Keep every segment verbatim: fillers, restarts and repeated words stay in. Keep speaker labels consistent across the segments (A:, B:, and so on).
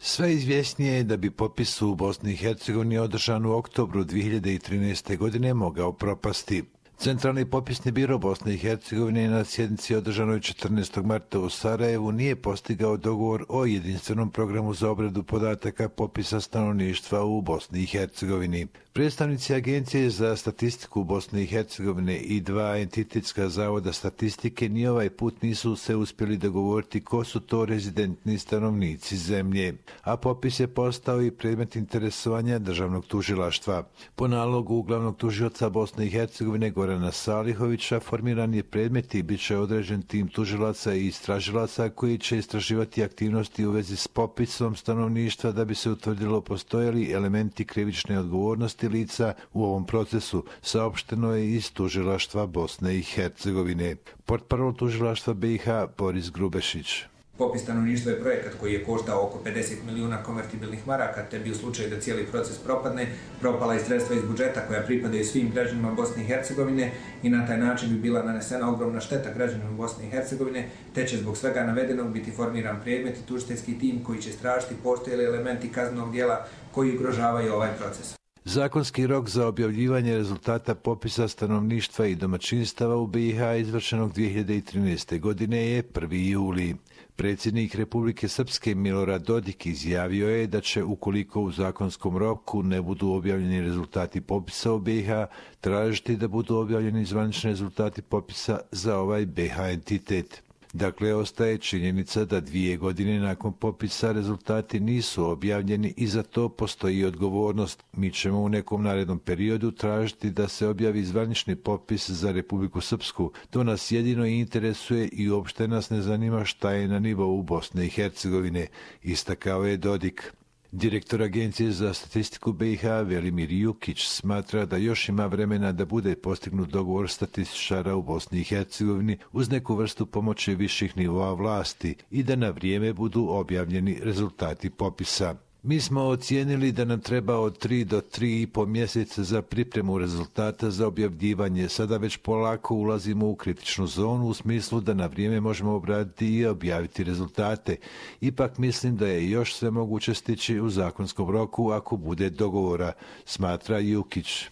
A: Sve izvjesnije je da bi popis u Bosni i Hercegovini održan u oktobru dvije hiljade trinaeste. godine mogao propasti. Centralni popisni biro Bosne i Hercegovine na sjednici održanoj četrnaestog marta u Sarajevu nije postigao dogovor o jedinstvenom programu za obradu podataka popisa stanovništva u Bosni i Hercegovini. Predstavnici Agencije za statistiku Bosne i Hercegovine i dva entitetska zavoda statistike ni ovaj put nisu se uspjeli dogovoriti ko su to rezidentni stanovnici zemlje, a popis je postao i predmet interesovanja državnog tužilaštva. Po nalogu glavnog tužioca Bosne i Hercegovine Gorana Salihovića formiran je predmet i bit će određen tim tužilaca i istražilaca koji će istraživati aktivnosti u vezi s popisom stanovništva da bi se utvrdilo postoje li elementi krivične odgovornosti lica u ovom procesu, saopšteno je iz tužilaštva Bosne i Hercegovine. Portparol tužilaštva B i H Boris Grubešić.
B: Popis stanovništva je projekat koji je koštao oko pedeset milijuna konvertibilnih maraka, te bi u slučaju da cijeli proces propadne, propala i sredstva iz budžeta koja pripadaju svim građanima Bosne i Hercegovine i na taj način bi bila nanesena ogromna šteta građanima Bosne i Hercegovine, te će zbog svega navedenog biti formiran predmet i tužiteljski tim koji će istražiti postoje li elementi kaznenog djela koji ugrožavaju ovaj proces.
A: Zakonski rok za objavljivanje rezultata popisa stanovništva i domaćinstava u B i H izvršenog dvije hiljade trinaeste. godine je prvi juli. Predsjednik Republike Srpske Milorad Dodik izjavio je da će, ukoliko u zakonskom roku ne budu objavljeni rezultati popisa u B i H, tražiti da budu objavljeni zvanični rezultati popisa za ovaj B i H entitet. Dakle, ostaje činjenica da dvije godine nakon popisa rezultati nisu objavljeni i za to postoji odgovornost. Mi ćemo u nekom narednom periodu tražiti da se objavi zvanični popis za Republiku Srpsku. To nas jedino interesuje i uopšte nas ne zanima šta je na nivou Bosne i Hercegovine, istakao je Dodik. Direktor Agencije za statistiku B i H Velimir Jukić smatra da još ima vremena da bude postignut dogovor statističara u Bosni i Hercegovini uz neku vrstu pomoći viših nivoa vlasti i da na vrijeme budu objavljeni rezultati popisa. Mi smo ocijenili da nam treba od tri do tri i po mjeseca za pripremu rezultata za objavljivanje. Sada već polako ulazimo u kritičnu zonu u smislu da na vrijeme možemo obraditi i objaviti rezultate. Ipak mislim da je još sve moguće stići u zakonskom roku ako bude dogovora, smatra Jukić.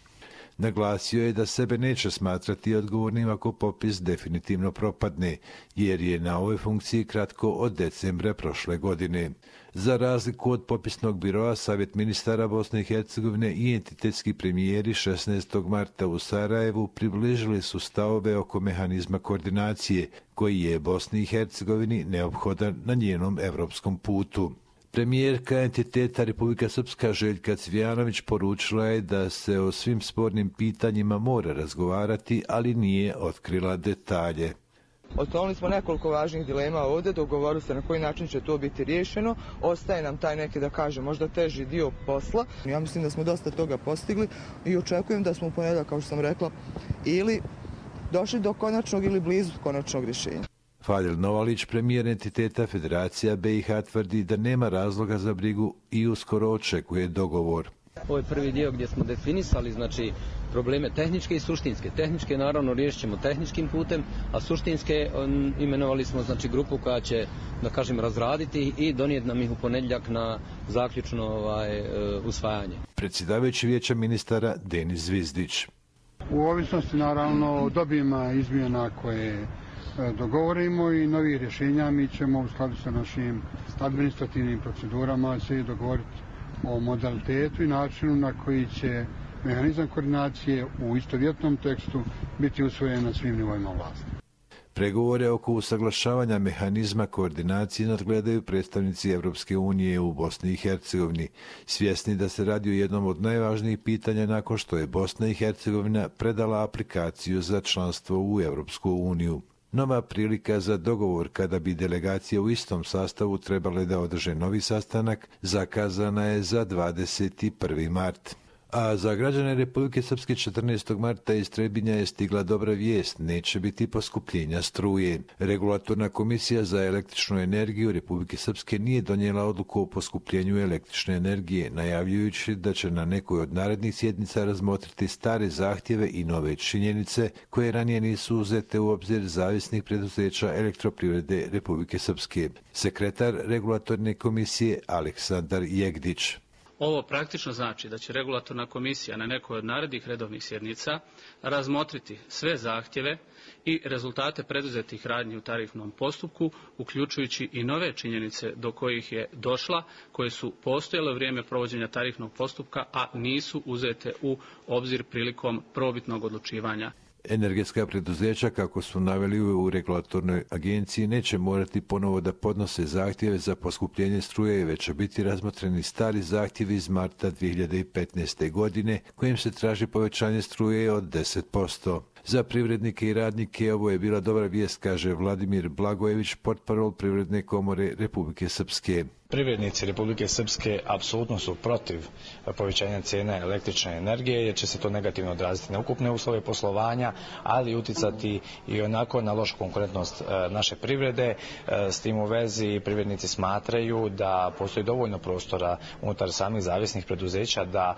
A: Naglasio je da sebe neće smatrati odgovornim ako popis definitivno propadne, jer je na ovoj funkciji kratko od decembra prošle godine. Za razliku od popisnog biroa, Savjet ministara Bosne i Hercegovine i entitetski premijeri šesnaestog marta u Sarajevu približili su stavove oko mehanizma koordinacije, koji je Bosni i Hercegovini neophodan na njenom evropskom putu. Premijerka entiteta Republika Srpska Željka Cvijanović poručila je da se o svim spornim pitanjima mora razgovarati, ali nije otkrila detalje.
C: Otvorili smo nekoliko važnih dilema ovdje, dogovorili se na koji način će to biti riješeno. Ostaje nam taj neki, da kažem, možda teži dio posla. Ja mislim da smo dosta toga postigli i očekujem da smo u ponedjeljak, kao što sam rekla, ili došli do konačnog ili blizu konačnog rješenja.
A: Fadil Novalić, premijer entiteta Federacija B i H, tvrdi da nema razloga za brigu i uskoro očekuje dogovor.
D: Ovo je prvi dio gdje smo definisali znači, probleme tehničke i suštinske. Tehničke naravno riješit ćemo tehničkim putem, a suštinske on, imenovali smo znači, grupu koja će da kažem, razraditi i donijeti nam ih u ponedjeljak na zaključno ovaj, usvajanje.
A: Predsjedavajući vijeća ministara Denis Zvizdić.
E: U ovisnosti naravno od obima izmjena koje dogovorimo i novih rješenja, mi ćemo u skladu sa našim administrativnim procedurama se dogovoriti o modalitetu i načinu na koji će mehanizam koordinacije u istovjetnom tekstu biti usvojen na svim nivoima vlasti.
A: Pregovore oko usaglašavanja mehanizma koordinacije nadgledaju predstavnici Evropske unije u Bosni i Hercegovini, svjesni da se radi o jednom od najvažnijih pitanja nakon što je Bosna i Hercegovina predala aplikaciju za članstvo u Evropsku uniju. Nova prilika za dogovor kada bi delegacije u istom sastavu trebale da održe novi sastanak zakazana je za dvadeset prvi mart. A za građane Republike Srpske četrnaestog marta iz Trebinja je stigla dobra vijest, neće biti poskupljenja struje. Regulatorna komisija za električnu energiju Republike Srpske nije donijela odluku o poskupljenju električne energije, najavljujući da će na nekoj od narednih sjednica razmotriti stare zahtjeve i nove činjenice koje ranije nisu uzete u obzir zavisnih preduzeća elektroprivrede Republike Srpske. Sekretar regulatorne komisije Aleksandar Jegdić.
F: Ovo praktično znači da će regulatorna komisija na nekoj od narednih redovnih sjednica razmotriti sve zahtjeve i rezultate preduzetih radnji u tarifnom postupku, uključujući i nove činjenice do kojih je došla, koje su postojale u vrijeme provođenja tarifnog postupka, a nisu uzete u obzir prilikom prvobitnog odlučivanja.
A: Energetska preduzeća, kako su naveli u regulatornoj agenciji, neće morati ponovo da podnose zahtjeve za poskupljenje struje, već će biti razmotreni stari zahtjevi iz marta dvije hiljade petnaeste. godine, kojim se traži povećanje struje od deset posto. Za privrednike i radnike ovo je bila dobra vijest, kaže Vladimir Blagojević, portparol Privredne komore Republike Srpske.
G: Privrednici Republike Srpske apsolutno su protiv povećanja cijene električne energije, jer će se to negativno odraziti na ukupne uslove poslovanja, ali uticati i onako na lošu konkurentnost naše privrede. S tim u vezi privrednici smatraju da postoji dovoljno prostora unutar samih zavisnih preduzeća da,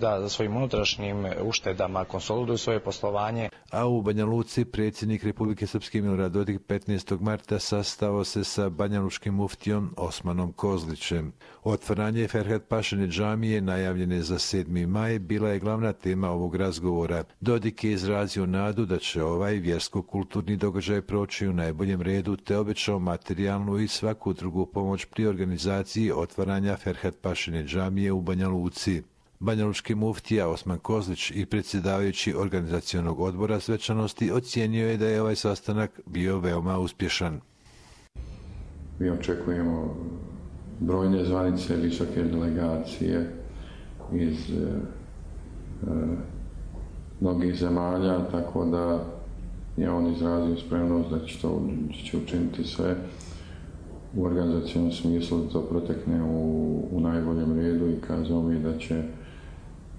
G: da svojim unutrašnjim uštedama konsoliduju svoje poslovanje.
A: A u Banja Luci predsjednik Republike Srpske Milorad Dodik petnaestog marta sastao se sa banjalučkim muftijom Osmanom Kozlićem. Otvaranje Ferhat Pašine džamije, najavljene za sedmi maj, bila je glavna tema ovog razgovora. Dodik je izrazio nadu da će ovaj vjersko-kulturni događaj proći u najboljem redu, te obećao materijalnu i svaku drugu pomoć pri organizaciji otvaranja Ferhat Pašine džamije u Banja Luci. Banjalučki muftija Osman Kozlić i predsjedavajući organizacionog odbora svečanosti ocijenio je da je ovaj sastanak bio veoma uspješan.
H: Mi očekujemo brojne zvanice, visoke delegacije iz e, e, mnogih zemalja, tako da je on izrazio spremnost da će to će učiniti sve u organizacijnom smislu da to protekne u, u najboljem redu i kazao mi da će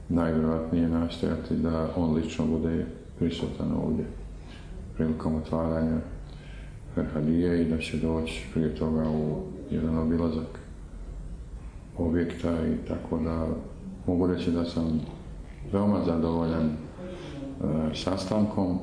H: najvjerojatnije nastojati da on lično bude prisutan ovdje prilikom otvaranja Ferhadije i da će doći prije toga u jedan obilazak objekta i tako da mogu reći da sam veoma zadovoljan e, sastankom.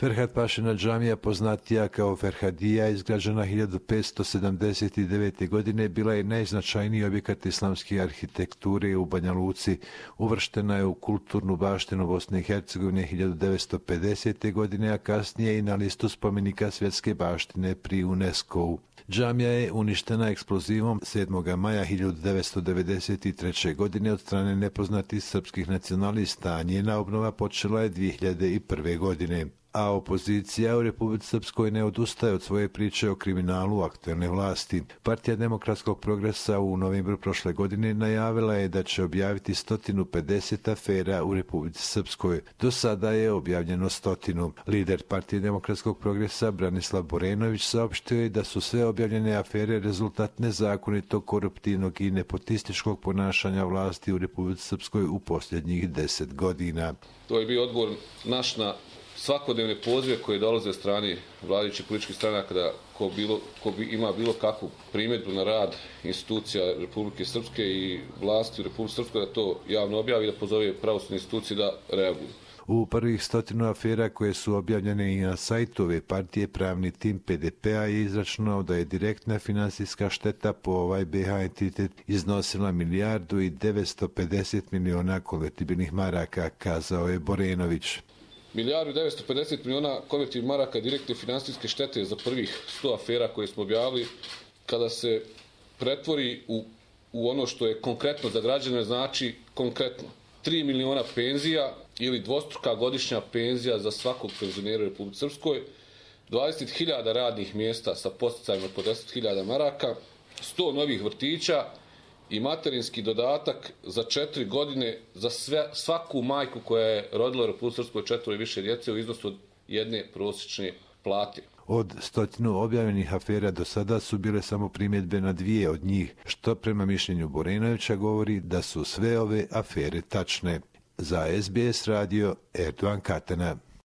A: Ferhat Pašina džamija, poznatija kao Ferhadija, izgrađena hiljadu petsto sedamdeset devete. godine, bila je najznačajniji objekat islamske arhitekture u Banja Luci. Uvrštena je u kulturnu baštinu Bosne i Hercegovine hiljadu devetsto pedesete. godine, a kasnije i na listu spomenika svjetske baštine pri UNESCO-u. Džamija je uništena eksplozivom sedmog maja hiljadu devetsto devedeset treće. godine od strane nepoznatih srpskih nacionalista, a njena obnova počela je dvije hiljade prve. godine. A opozicija u Republici Srpskoj ne odustaje od svoje priče o kriminalu aktuelne vlasti. Partija demokratskog progresa u novembru prošle godine najavila je da će objaviti sto pedeset afera u Republici Srpskoj. Do sada je objavljeno stotinu. Lider Partije demokratskog progresa Branislav Borenović saopštio je da su sve objavljene afere rezultat nezakonitog, koruptivnog i nepotističkog ponašanja vlasti u Republici Srpskoj u posljednjih deset godina.
I: To je bio odgovor naš na svakodnevne pozive koje dolaze od strane vladajućih političkih stranaka da ko, bilo, ko bi ima bilo kakvu primjedbu na rad institucija Republike Srpske i vlasti u Republike Srpskoj da to javno objavi i da pozove pravosudne institucije da reaguju.
A: U prvih stotinu afera koje su objavljene i na sajtu ove partije, pravni tim P D P-a je izračunao da je direktna finansijska šteta po ovaj B H entitet iznosila milijardu i devetsto pedeset miliona konvertibilnih maraka, kazao je Borenović.
I: Milijardu i devetsto pedeset miliona konvertibilnih maraka direktne finansijske štete za prvih sto afera koje smo objavili, kada se pretvori u, u ono što je konkretno za građane, znači konkretno tri miliona penzija ili dvostruka godišnja penzija za svakog penzionera u Republici Srpskoj, dvadeset hiljada radnih mjesta sa podsticajima po deset hiljada maraka, sto novih vrtića i materinski dodatak za četiri godine za sve, svaku majku koja je rodila u Republici Srpskoj četvoro i više djece u iznosu od jedne prosječne plati.
A: Od stotinu objavljenih afera do sada su bile samo primjedbe na dvije od njih, što prema mišljenju Borenovića govori da su sve ove afere tačne. Za S B S radio, Erdogan Katana.